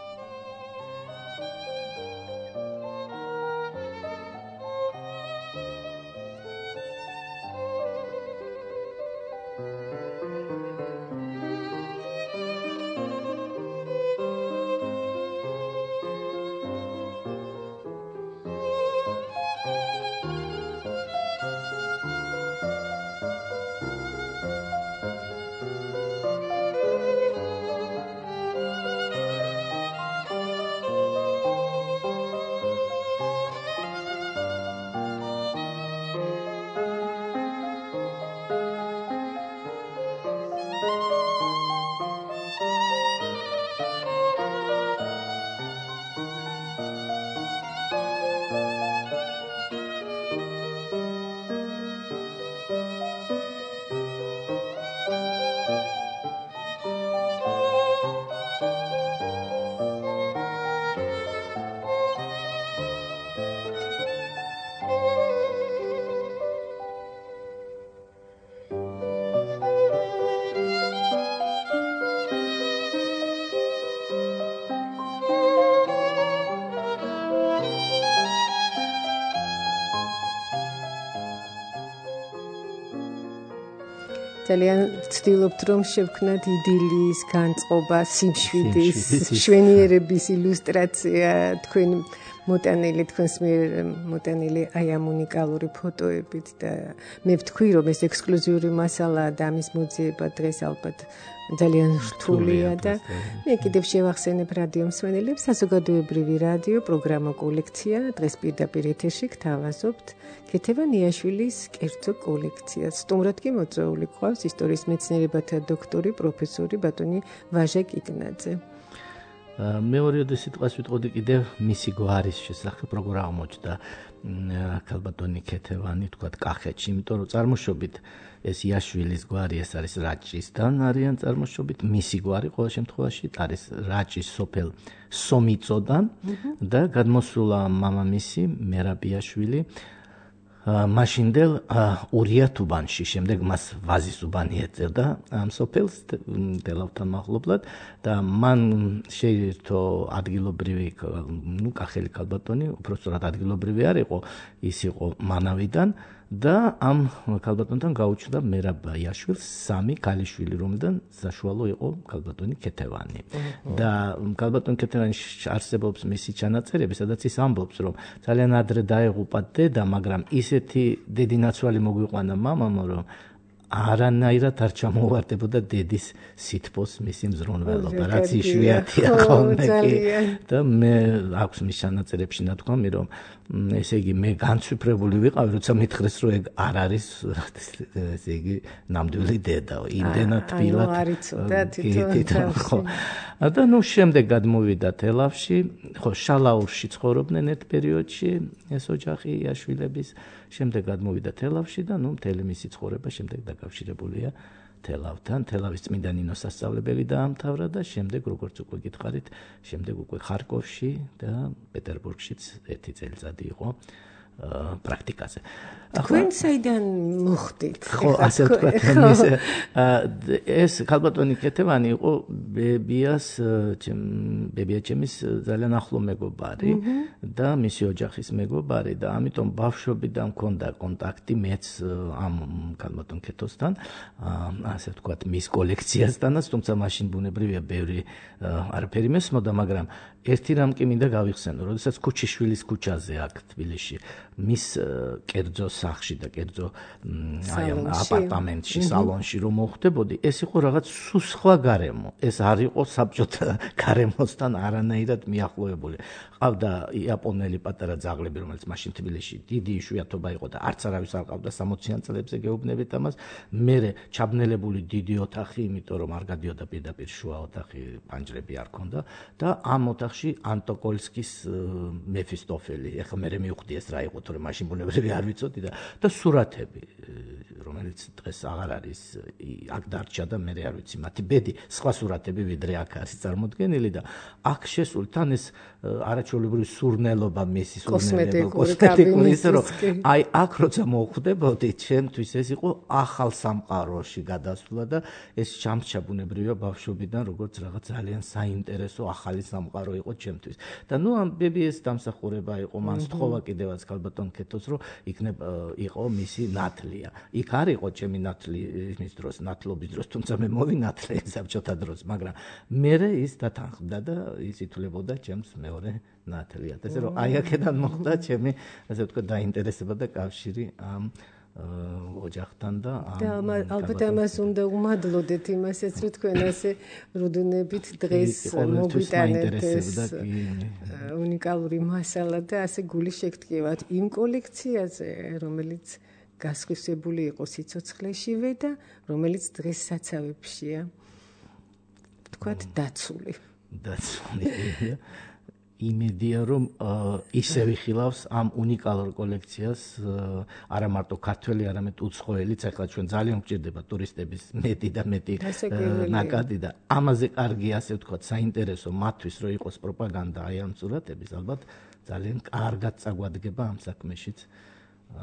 ძალიან ვცდილობთ რომ შევქნათ იდილის, განწყობა, სიმშვიდის, შვენიერების ილუსტრაცია, თქვენ მოტანილი თქვენს მიერ მოტანილი აი ამ უნიკალური ფოტოებით და მე ვთქვი რომ ეს ექსკლუზიური მასალაა და ამის მოძიება დღეს ალბათ ძალიან რთულია და მე კიდევ შევახსენებ რადიო მსმენელებს საზოგადოებრივი რადიო პროგრამა კოლექცია დღეს პირდაპირ ეთერში გთავაზობთ ქეთევან იაშვილის კერძო კოლექციას. სტუმრად კი მოწვეული გვყავს ისტორიის მეცნიერებათა დოქტორი პროფესორი ბატონი ვაჟა კიკნაძე. მეორე სიტყვას ვიტყოდი კიდევ მისი გვარის შესახებ როგორ აღმოჩნდა ქალბატონი ქეთევანი თქვა კახეთში, იმიტომ რომ წარმოშობით ეს იაშვილის გვარი ეს არის რაჭისთან არიან წარმოშობით, მისი გვარი ყოველ შემთხვევაში არის რაჭის სოფელ სომიწოდან და გადმოსულა მამამისი მერაბიაშვილი მაშინდელ ურიათუბანში, შემდეგ მას ვაზისუბანი ეწევდა ამ სოფელს დელავთან მახლობლად და მან შეირთო ადგილობრივი, ნუ კახელი ქალბატონი, უпростоრად ადგილობრივი არ იყო, ის იყო მანავიდან და ამ ქალბატონთან გაუჩნდა მერაბიაშვილს სამი ქალიშვილი, რომლიდან საშუალო იყო ქალბატონი ქეთევანი. და ქალბატონი ქეთევანის არსებობს მისი ჩანაწერები, სადაც ის ამბობს, რომ ძალიან ადრე დაეღუპა დედა, მაგრამ ისეთი დედინაცვალი მოგვიყვანა მამამ, რომ არანაირად არ ჩამოუვარდებოდა დედის სითბოს მისი მზრუნველობა, რაც იშვიათია ხოლმე და მე აქვს მის ჩანაწერებში ნათქვამი, რომ ესე იგი მე განცვიფრებული ვიყავი, როცა მითხრეს, რომ ეგ არ არის ესე იგი ნამდვილი დედაო, იმდენად თბილად გითითო ხო. და ნუ შემდეგ გადმოვიდა თელავში, ხო შალაურში ცხოვრობდნენ ერთ პერიოდში ეს ოჯახი იაშვილების, შემდეგ გადმოვიდა თელავში და ნუ მთელი მისი ცხოვრება შემდეგ დაკავშირებულია თელავთან. თელავის წმინდა ნინოს სასწავლებელი დაამთავრა და შემდეგ როგორც უკვე გითხარით, შემდეგ უკვე ხარკოვში და პეტერბურგშიც ერთი წელიწადი იყო პრაქტიკაზე. თქვენ საიდან მოხდით? ხო, ასე ვთქვათ, ეს ქალბატონი ქეთევანი იყო ბებიას, ბებია ჩემის ძალიან ახლო მეგობარი და მისი ოჯახის მეგობარი და ამიტომ ბავშვობიდან მქონდა კონტაქტი მეც ამ ქალბატონ ქეთოსთან, ასე ვთქვათ, მის კოლექციასთანაც, თუმცა მაშინ ბუნებრივია ბევრი არაფერი მესმოდა, მაგრამ ერთი რამ კი მინდა გავიხსენო, როდესაც ქუჩიშვილის ქუჩაზე აქ თბილისში მის კერძო სახლში და კერძო აი ამ აპარტამენტში, სალონში რომ მოხვდებოდი, ეს იყო რაღაც სუსხვა გარემო. ეს არ იყო საბჭოთა გარემოსთან არანაირად მიახლოებული. ყავდა იაპონელი პატარა ძაღლები, რომელიც მაშინ თბილისში დიდი იშვიათობა იყო და არც არავის არ ყავდა სამოციან წლებზე გეუბნებით ამას. მერე ჩაბნელებული დიდი ოთახი, იმიტომ რომ არ გადიოდა პირდაპირ შუა ოთახი, პანჯრები არ ქონდა და ამ ოთახში ანტოკოლსკის მეფისტოფელი. ეხლა მერე მივხვდი ეს რა იყო, თორემ მაშინ ბუნებრივია არ ვიცოდი და და სურათები, რომელიც დღეს აღარ არის აქ დარჩა და მე არ ვიცი მათი ბედი, სხვა სურათები ვიდრე აქ არის წარმოდგენილი და აქ შესული თან ეს არაჩვეულებრივი სურნელობა მისი სურნელობა კოსმეტიკური ისე რომ აი აქ როცა მოხვდებოდი, ჩემთვის ეს იყო ახალ სამყაროში გადასვლა და ეს ჩამრჩა ბუნებრივია ბავშვობიდან, როგორც რაღაც ძალიან საინტერესო ახალი სამყარო იყო ჩემთვის. და ნუ ამ ბებიეს დამსახურება იყო, მან სთხოვა კიდევაც ქალბატონ ქეთოს, რომ იქნებ იყო მისი ნათლია. იქ არ იყო ჩემი ნათლი იმის დროს, ნათლობის დროს, თუმცა მე მოვინათლე საბჭოთა დროს, მაგრამ მერე ის დათანხმდა და ის ითვლებოდა ჩემს მეორე ნათლიად. ესე რომ აი აქედან მოხდა ჩემი, ასე ვთქვათ, დაინტერესება და კავშირი ამ ოჯახთან და ამ ალბათ ამას უნდა უმადლოდეთ იმასაც, რომ თქვენ ასე რუდუნებით დღეს მოგვიტანეთ ეს უნიკალური მასალა და ასე გული შეგტკივათ იმ კოლექციაზე, რომელიც გასხვისებული იყო სიცოცხლეშივე და რომელიც დღეს საცავებშია, ვთქვათ, დაცული. დაცული. იმედია რომ ისე ვიხილავს ამ უნიკალურ კოლექციას არა მარტო ქართველი, არამედ უცხოელიც, ახლა ჩვენ ძალიან გვჭირდება ტურისტების მეტი და მეტი ნაკადი და ამაზე კარგი, ასე ვთქვათ, საინტერესო მათთვის რომ იყოს პროპაგანდა აი ამ სურათების, ალბათ ძალიან კარგად წაგვადგება ამ საქმეშიც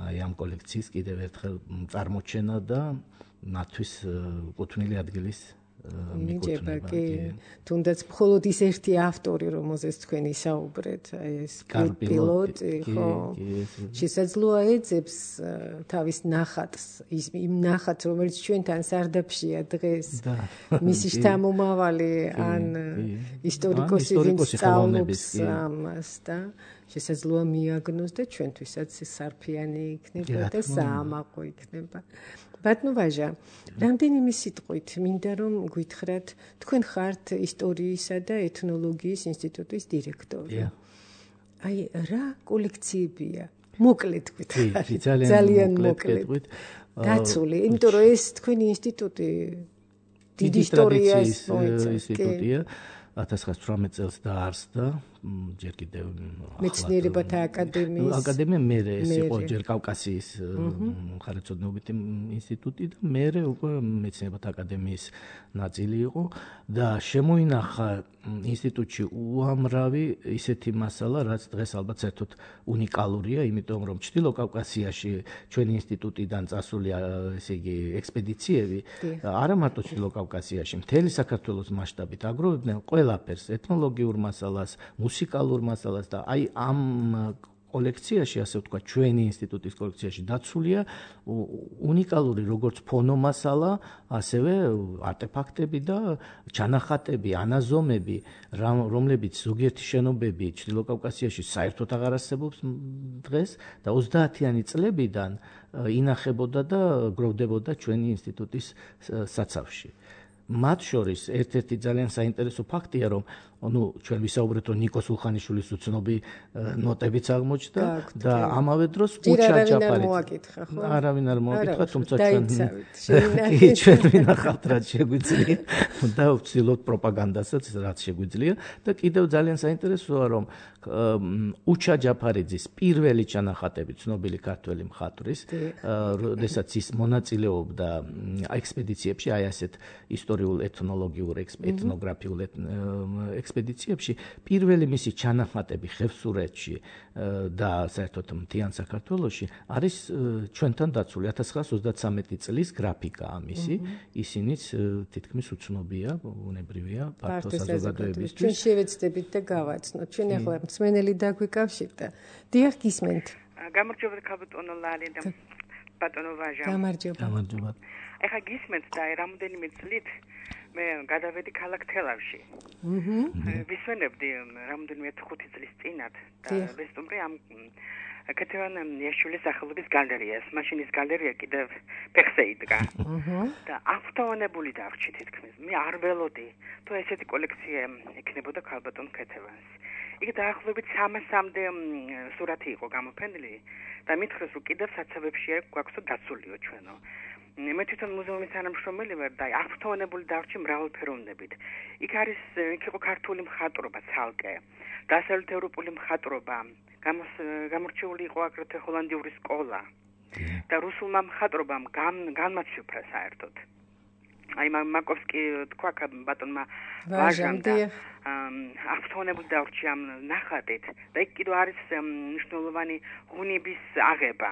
აი ამ კოლექციის კიდევ ერთხელ წარმოჩენა და მათთვის კუთვნილი ადგილის მიჯება კი თუნდაც მხოლოდ ის ერთი ავტორი რომელზეც თქვენ ისაუბრეთ აი ეს პილოტი ხო შესაძლოა ეძებს თავის ნახატს ის იმ ნახატს რომელიც ჩვენთან სარდაფშია დღეს მისი შთამომავალი ან ისტორიკოსი ვინც სწავლობს ამას და შესაძლოა მიაგნოს და ჩვენთვისაც სარფიანი იქნება და საამაყო იქნება ბატონო ვაჟა, რამდენიმე სიტყვით მინდა რომ გითხრათ, თქვენ ხართ ისტორიისა და ეთნოლოგიის ინსტიტუტის დირექტორი. აი, რა კოლექციებია? მოკლედ გითხრათ. ძალიან მოკლედ. დაცული, იმიტომ რომ ეს თქვენი ინსტიტუტი დიდი ისტორიას ინსტიტუტია. ათას ცხრაასი ოცდაოთხ წელს დაარსდა ჯერ კიდევ მეცნიერებათა აკადემიის აკადემია მერე ეს იყო ჯერ კავკასიის მხარეთმცოდნეობითი ინსტიტუტი და მერე უკვე მეცნიერებათა აკადემიის ნაწილი იყო და შემოინახა ინსტიტუტში უამრავი ისეთი მასალა რაც დღეს ალბათ საერთოდ უნიკალურია იმიტომ რომ ჩრდილო კავკასიაში ჩვენი ინსტიტუტიდან წასულია ესე იგი ექსპედიციები არა მარტო ჩრდილო კავკასიაში მთელი საქართველოს მასშტაბით აგროვებდნენ ყველაფერს ეთნოლოგიურ მასალას მუსიკალურ მასალას და აი ამ კოლექციაში ასე ვთქვა ჩვენი ინსტიტუტის კოლექციაში დაცულია უნიკალური როგორც ფონომასალა ასევე არტეფაქტები და ჩანახატები ანაზომები რომლებიც ზოგიერთი შენობები ჩრდილო კავკასიაში საერთოდ აღარ არსებობს დღეს და ოცდაათიანი წლებიდან ინახებოდა და გროვდებოდა ჩვენი ინსტიტუტის საცავში მათ შორის ერთ-ერთი ძალიან საინტერესო ფაქტია რომ ну ჩვენ ვისაუბრეთ რომ ნიკოს ულხანიშვილის უცნობი ნოტებიც აღმოჩნდა და ამავე დროს უჩა ჯაფარიც არავინ არ მოაკითხა თუმცა ჩვენ ჩვენ ვინახავთ რაც შეგვიძლია და ვცდილობთ პროპაგანდასაც რაც შეგვიძლია და კიდევ ძალიან საინტერესოა რომ უჩა ჯაფარიძის პირველი ჩანახატები ცნობილი ქართველი მხატვრის როდესაც ის მონაწილეობდა ექსპედიციებში აი ასეთ ისტორიულ ეთნოლოგიურ ეთნოგრაფიულ ექსპედიციებში პირველი მისი ჩანახატები ხევსურეთში და საერთოდ მთიან საქართველოში არის ჩვენთან დაცული ათას ცხრაასი ოცდათვრამეტი წლის გრაფიკა ამისი ისინიც თითქმის უცნობია უნებრივია ფართო საზოგადოებისთვის ჩვენ შევეცდებით და გავაცნოთ ჩვენ ახლა მსმენელი დაგვიკავშირდა დიახ გისმენთ გამარჯობა ქალბატონო ლალი და ბატონო ვაჟა გამარჯობა გამარჯობა ეხა გისმენთ და რამდენიმე წლით მე გადავედი ქალაქ თელავში. აჰა. ვისვენებდი რამდენიმე ხუთი წლის წინათ და ვესტუმრე ამ კეთევან იაშვილის სახელობის გალერეას. მაშინ ის გალერეა კიდევ ფეხზე იდგა. აჰა. და ავტოონებული დავრჩი თითქმის. მე არ ველოდი, თუ ესეთი კოლექცია ექნებოდა ქალბატონ კეთევანს. იქ დაახლოებით სამასამდე სურათი იყო გამოფენილი და მითხრეს რომ კიდევ საცავებში გვაქვსო დაცულიო ჩვენო. მე თვითონ მუზეუმის თანამშრომელი ვარ და ავტოონებული დავრჩი მრავალფეროვნებით. იქ არის იქ იყო ქართული მხატვრობა ცალკე, დასავლეთ ევროპული მხატვრობა, გამორჩეული იყო აგრეთვე ჰოლანდიური სკოლა და რუსულმა მხატვრობამ განმაცვიფრა საერთოდ. აი მაკოვსკი თქვა ბატონმა ვაჟამ და ავტოონებული დავრჩი ამ ნახატით და იქ კიდევ არის მნიშვნელოვანი ღუნიბის აღება.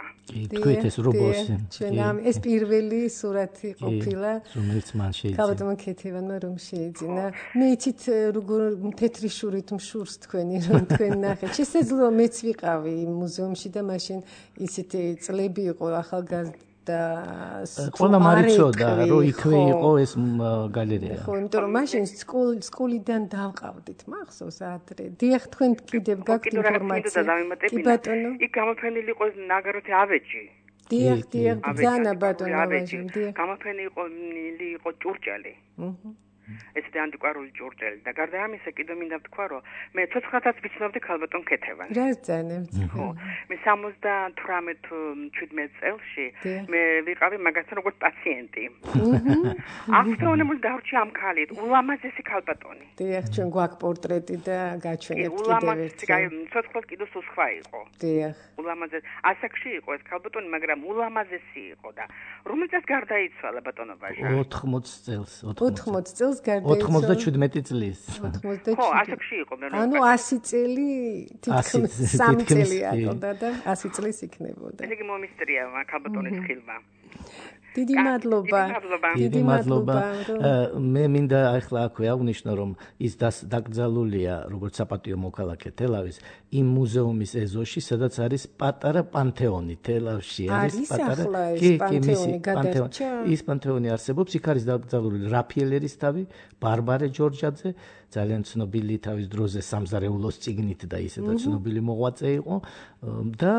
თქვით ეს რობოსი. ჩვენ ამ ეს პირველი სურათი ყოფილა რომელიც მან შეიძინა. ქალბატონმა კეთევანმა რომ შეიძინა. მე იცით როგორ თეთრი შურით მშურს თქვენი რომ თქვენ ნახეთ. შესაძლოა მეც ვიყავი იმ მუზეუმში და მაშინ ისეთი წლები იყო ახალგაზრდა და ყველა მარიცოდა რომ იქვე იყო ეს გალერეა. ხო, იმიტომ რომ მაშინ სკოლიდან დავყავდით, მახსოვს ადრე. დიახ, თქვენ კიდევ გაქვთ ინფორმაცია. კი ბატონო. იქ გამოფენილი იყო ნაგაროთი ავეჯი. დიახ, დიახ, ბძანა ბატონო ავეჯი. გამოფენილი იყო იყო ჭურჭელი. აჰა. ესეთი ანტიკვარული ჭურჭელი და გარდა ამისა კიდევ მინდა ვთქვა რომ მე ცოცხლადაც ვიცნობდი ქალბატონ კეთევანს. რა ძანებთ? ხო. მე სამოცდათვრამეტ შვიდმეტ წელში მე ვიყავი მაგასთან როგორც პაციენტი. ავტოონებული დავრჩი ამ ქალით, ულამაზესი ქალბატონი. დიახ, ჩვენ გვაქვს პორტრეტი და გაჩვენებთ კიდევ ერთხელ. ცოცხლად კიდევ სულ სხვა იყო. დიახ. ულამაზესი ასაკში იყო ეს ქალბატონი, მაგრამ ულამაზესი იყო და რომელსაც გარდაიცვალა ბატონო ვაჟა? ოთხმოცი წელს, ოთხმოცი წელს გარდაიცვალა. ოცდაშვიდმეტი წლის. ხო, ასაკში იყო მე. ანუ ასი წელი თითქმის სამი წელი ატყდა და ასი წლის იქნებოდა. ესე იგი მომისტრია ქალბატონის ხილვა. დიდი მადლობა. დიდი მადლობა. მე მინდა ახლა აქვე აღვნიშნო, რომ ის დაკრძალულია როგორც საპატიო მოქალაქე თელავის იმ მუზეუმის ეზოში, სადაც არის პატარა პანთეონი თელავში არის პატარა. კი, კი, მისი პანთეონი. ის პანთეონი არსებობს, იქ არის დაკრძალული რაფიელ ერისთავი, ბარბარე ჯორჯაძე, ძალიან ცნობილი თავის დროზე სამზარეულოს წიგნით და ისედაც ცნობილი მოღვაწე იყო და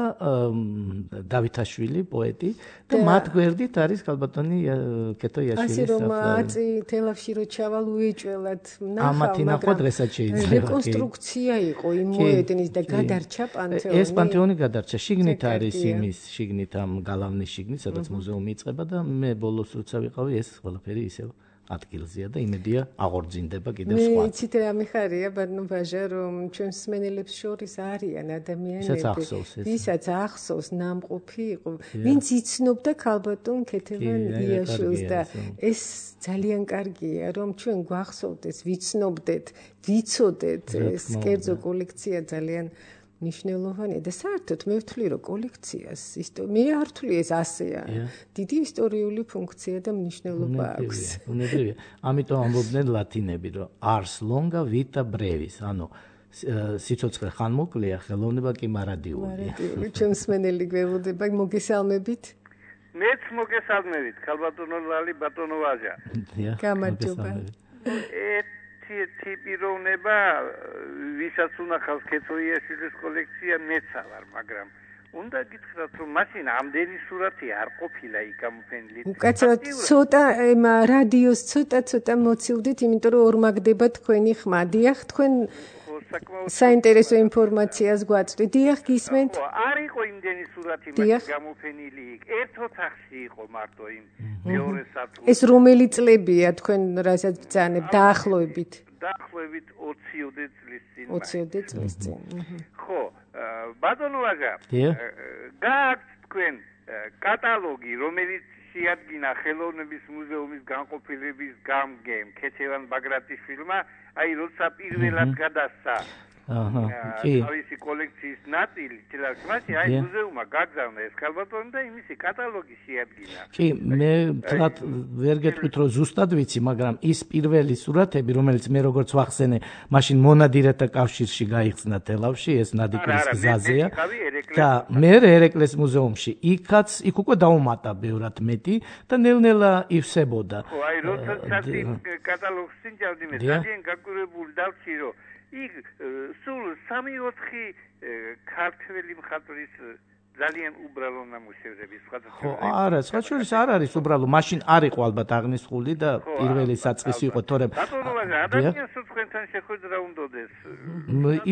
დავითაშვილი პოეტი და მათ გვერდით არის ქალბატონი კეტო იაშვილის ასე რომ აწი თელავში რო ჩავალ უეჭველად ნახავ ამათი ნახვა დღესაც შეიძლება რეკონსტრუქცია იყო იმ მოედნის და გადარჩა პანთეონი ეს პანთეონი გადარჩა შიგნით არის იმის შიგნით ამ გალავნის შიგნით სადაც მუზეუმი იწყება და მე ბოლოს როცა ვიყავი ეს ყველაფერი ისევ ადგილზეა და იმედია აღორძინდება კიდევ სხვა. მე იცით რა მიხარია ბატონო ბაჟა რომ ჩვენს მსმენელებს შორის არიან ადამიანები ვისაც ახსოვს ნამყოფი იყო ვინც იცნობდა ქალბატონ ქეთევან იაშვილს და ეს ძალიან კარგია რომ ჩვენ გვახსოვდეს ვიცნობდეთ ვიცოდეთ ეს კერძო კოლექცია ძალიან ნიშნულოვანია და საერთოდ მე ვთვლი რომ კოლექციას მე არ ვთვლი ეს ასეა დიდი ისტორიული ფუნქცია და მნიშვნელობა აქვს უნებრივია ამიტომ ამბობდნენ ლათინები რომ ars longa vita brevis ანუ სიცოცხლე ხანმოკლეა ხელოვნება კი მარადიულია ჩვენ მსმენელი გველოდება მოგესალმებით მეც მოგესალმებით ქალბატონო ლალი ბატონო ვაჟა გამარჯობა ერთი პიროვნება ვისაც უნახავს კეტო იაშვილის კოლექცია მეც ვარ მაგრამ უნდა გითხრათ რომ მაშინ ამდენი სურათი არ ყოფილა იქ გამოფენილი უკაცრავად ცოტა ემა რადიოს ცოტა ცოტა მოცილდით იმიტომ რომ ორმაგდება თქვენი ხმა დიახ თქვენ საინტერესო ინფორმაციას გვაწვდით დიახ გისმენთ არ იყო იმდენი სურათი მაშინ გამოფენილი იქ ერთ ოთახში იყო მარტო იმ მეორე სართულში ეს რომელი წლებია თქვენ რასაც ბრძანებთ დაახლოებით დაახლოებით ოცი წლის წინ ოცი წლის წინ ხო ბატონო ვაჟა გააქვთ თქვენ კატალოგი რომელიც შეადგინა ხელოვნების მუზეუმის განყოფილების გამგემ ქეთევან ბაგრატიშვილმა აი როცა პირველად გადასცა აჰა კი თავისი კოლექციის ნაწილი თილაკს მაშინ აი მუზეუმმა გაგზავნა ეს ქალბატონი და იმისი კატალოგი შეადგინა კი მე თათ ვერ გეტყვით რომ ზუსტად ვიცი მაგრამ ის პირველი სურათები რომელიც მე როგორც ვახსენე მაშინ მონადირეთა კავშირში გაიხსნა თელავში ეს ნადიკვრის გზაზეა და მე ერეკლეს მუზეუმში იქაც იქ უკვე დაუმატა ბევრად მეტი და ნელ-ნელა ივსებოდა ხო აი როცა ჩათი კატალოგს წინჯავდი მე ძალიან გაკვირვებული დავჭი რომ იქ სულ სამი ოთხი ქართველი მხატვრის ძალიან უბრალო ნამუშევრები სხვათა ხო არა სხვა შორის არ არის უბრალო მაშინ არ იყო ალბათ აღნიშნული და პირველი საწყისი იყო თორემ ბატონო ადამიანს თქვენთან შეხვედრა უნდადეს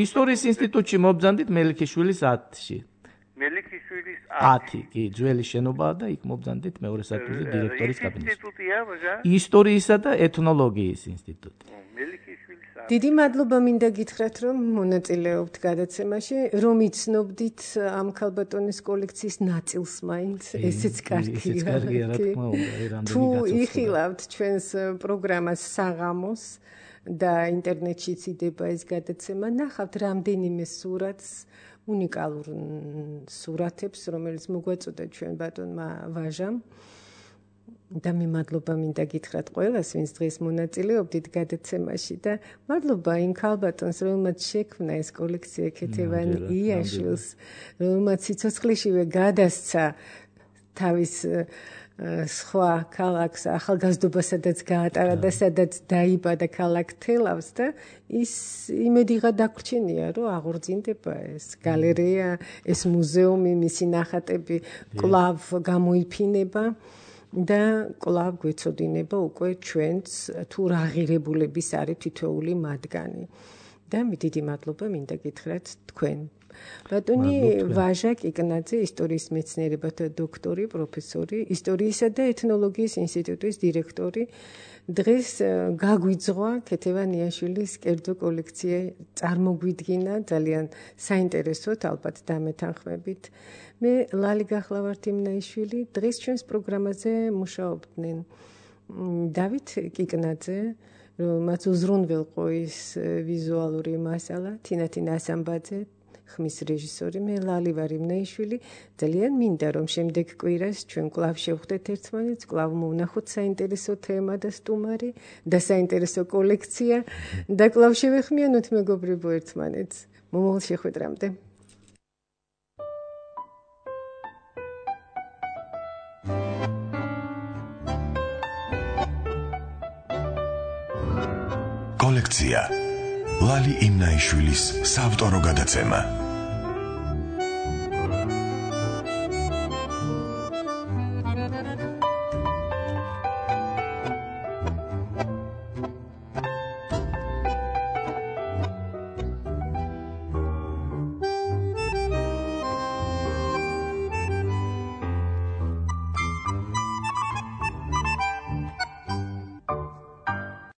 ისტორიის ინსტიტუტში მობრძანდით მელიქიშვილის ათში მელიქიშვილის ათი კი ძველი შენობაა და იქ მობრძანდით მეორე სართულზე დირექტორის კაბინეტში ინსტიტუტია ბაჟა ისტორიისა და ეთნოლოგიის ინსტიტუტი დიდი მადლობა მინდა გითხრათ რომ მონაწილეობთ გადაცემაში რომ იცნობდით ამ ქალბატონის კოლექციის ნაწილს მაინც ესეც კარგია ესეც კარგია რა თქმა უნდა რამდენი თუ იხილავთ ჩვენს პროგრამას საღამოს და ინტერნეტშიც იდება ეს გადაცემა ნახავთ რამდენიმე სურათს უნიკალურ სურათებს რომელიც მოგვაწოდა ჩვენ ბატონმა ვაჟამ და მე მადლობა მინდა გითხრათ ყველას, ვინც დღეს მონაწილეობდით გადაცემაში და მადლობა იმ ქალბატონს, რომელმაც შექმნა ეს კოლექცია ქეთევან იაშვილს, რომელმაც სიცოცხლეშივე გადასცა თავის სხვა ქალაქს, ახალგაზრდობა სადაც გაატარა და სადაც დაიბადა ქალაქ თელავს და ის იმედიღა დაგვრჩენია, რომ აღორძინდება ეს გალერეა, ეს მუზეუმი, მისი ნახატები კვლავ გამოიფინება. და კვლავ გვეცოდინება უკვე ჩვენც თუ რა ღირებულების არის თითოეული მათგანი. და მე დიდი მადლობა მინდა გითხრათ თქვენ. ბატონი ვაჟა კიკნაძე, ისტორიის მეცნიერებათა დოქტორი, პროფესორი, ისტორიისა და ეთნოლოგიის ინსტიტუტის დირექტორი, დღეს გაგვიძღვა ქეთევან იაშვილის კერძო კოლექცია წარმოგვიდგინა ძალიან საინტერესოდ, ალბათ დამეთანხმებით. მე ლალი გახლავართ იმნაიშვილი, დღეს ჩვენს პროგრამაზე მუშაობდნენ დავით კიკნაძე, რომელმაც უზრუნველყო ის ვიზუალური მასალა, თინათინ ასამბაძე, ხმის რეჟისორი მე ლალი ვარ იმნაიშვილი. ძალიან მინდა რომ შემდეგ კვირას ჩვენ კვლავ შევხვდეთ ერთმანეთს, კვლავ მოვნახოთ საინტერესო თემა და სტუმარი და საინტერესო კოლექცია და კვლავ შევეხმიანოთ მეგობრებო ერთმანეთს. მომავალ შეხვედრამდე. კოლექცია ლალი იმნაიშვილის საავტორო გადაცემა.